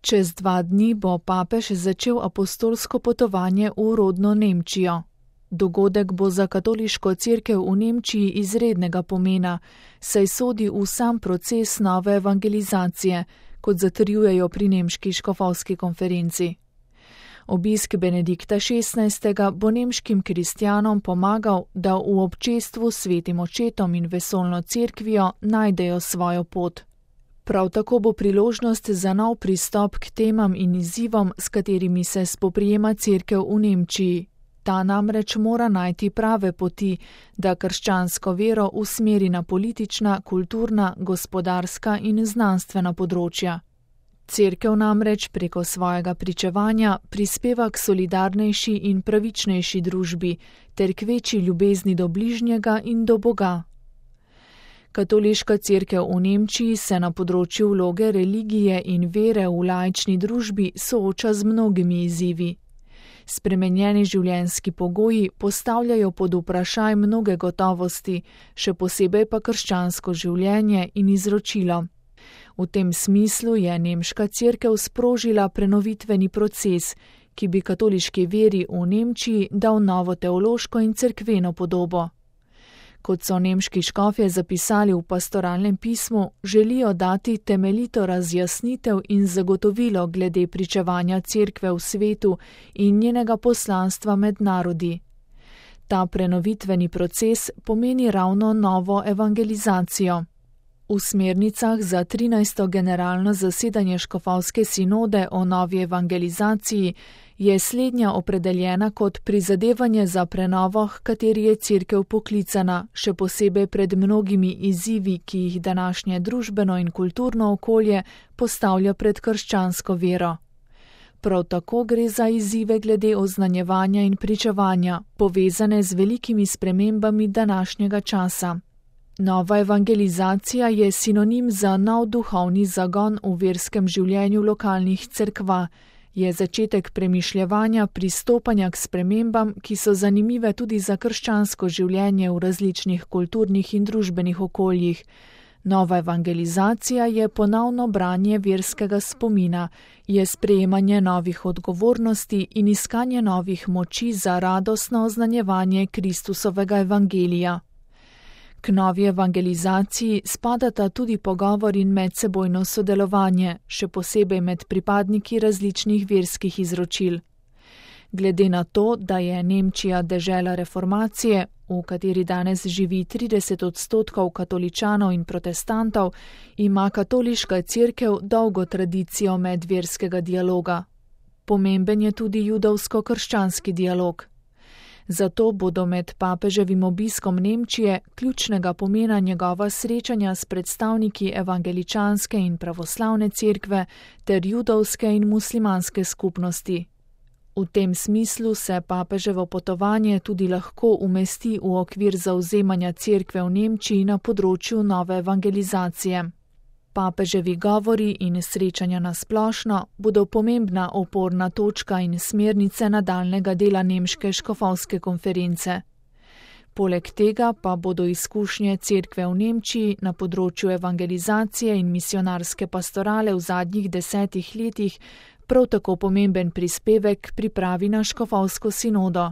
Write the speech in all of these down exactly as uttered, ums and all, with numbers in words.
Čez dva dni bo papež začel apostolsko potovanje v rodno Nemčijo. Dogodek bo za katoliško cerkev v Nemčiji izrednega pomena, saj sodi v sam proces nove evangelizacije, kot zatrjujejo pri nemški škofovski konferenci. Obisk Benedikta šestnajstega bo nemškim kristjanom pomagal, da v občestvu s svetim očetom in vesoljno cerkvijo najdejo svojo pot. Prav tako bo priložnost za nov pristop k temam in izzivom, s katerimi se spoprijema cerkev v Nemčiji. Ta namreč mora najti prave poti, da krščansko vero usmeri na politična, kulturna, gospodarska in znanstvena področja. Cerkev namreč preko svojega pričevanja prispeva k solidarnejši in pravičnejši družbi ter k večji ljubezni do bližnjega in do Boga. Katoliška cerkev v Nemčiji se na področju vloge religije in vere v laični družbi sooča z mnogimi izzivi. Spremenjeni življenjski pogoji postavljajo pod vprašaj mnoge gotovosti, še posebej pa krščansko življenje in izročilo. V tem smislu je nemška cerkev sprožila prenovitveni proces, ki bi katoliški veri v Nemčiji dal novo teološko in cerkveno podobo. Kot so nemški škofje zapisali v pastoralnem pismu, želijo dati temeljito razjasnitev in zagotovilo glede pričevanja cerkve v svetu in njenega poslanstva med narodi. Ta prenovitveni proces pomeni ravno novo evangelizacijo. V smernicah za trinajsto generalno zasedanje škofovske sinode o novi evangelizaciji je slednja opredeljena kot prizadevanje za prenovo, h kateri je cerkev poklicana, še posebej pred mnogimi izzivi, ki jih današnje družbeno in kulturno okolje postavlja pred krščansko vero. Prav tako gre za izzive glede oznanjevanja in pričevanja, povezane z velikimi spremembami današnjega časa. Nova evangelizacija je sinonim za nov duhovni zagon v verskem življenju lokalnih cerkva, je začetek premišljevanja pristopanja k spremembam, ki so zanimive tudi za krščansko življenje v različnih kulturnih in družbenih okoljih. Nova evangelizacija je ponovno branje verskega spomina, je sprejemanje novih odgovornosti in iskanje novih moči za radostno oznanjevanje Kristusovega evangelija. K novi evangelizaciji spadata tudi pogovor in medsebojno sodelovanje, še posebej med pripadniki različnih verskih izročil. Glede na to, da je Nemčija dežela reformacije, v kateri danes živi trideset odstotkov katoličanov in protestantov, ima katoliška cerkev dolgo tradicijo medverskega dialoga. Pomemben je tudi judovsko-krščanski dialog. Zato bodo med papeževim obiskom Nemčije ključnega pomena njegova srečanja s predstavniki evangeličanske in pravoslavne cerkve ter judovske in muslimanske skupnosti. V tem smislu se papeževo potovanje tudi lahko umesti v okvir zavzemanja cerkve v Nemčiji na področju nove evangelizacije. Papeževi govori in srečanja na splošno bodo pomembna oporna točka in smernice nadaljnega dela nemške škofovske konference. Poleg tega pa bodo izkušnje cerkve v Nemčiji na področju evangelizacije in misionarske pastorale v zadnjih desetih letih prav tako pomemben prispevek k pripravi na škofovsko sinodo.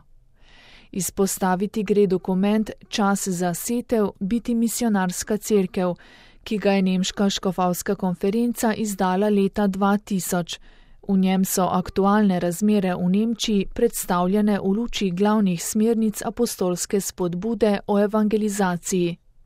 Izpostaviti gre dokument Čas za setev, biti misionarska cerkev, ki ga je nemška škofovska konferenca izdala leta dva tisoč. V njem so aktualne razmere v Nemčiji predstavljene v luči glavnih smernic apostolske spodbude o evangelizaciji.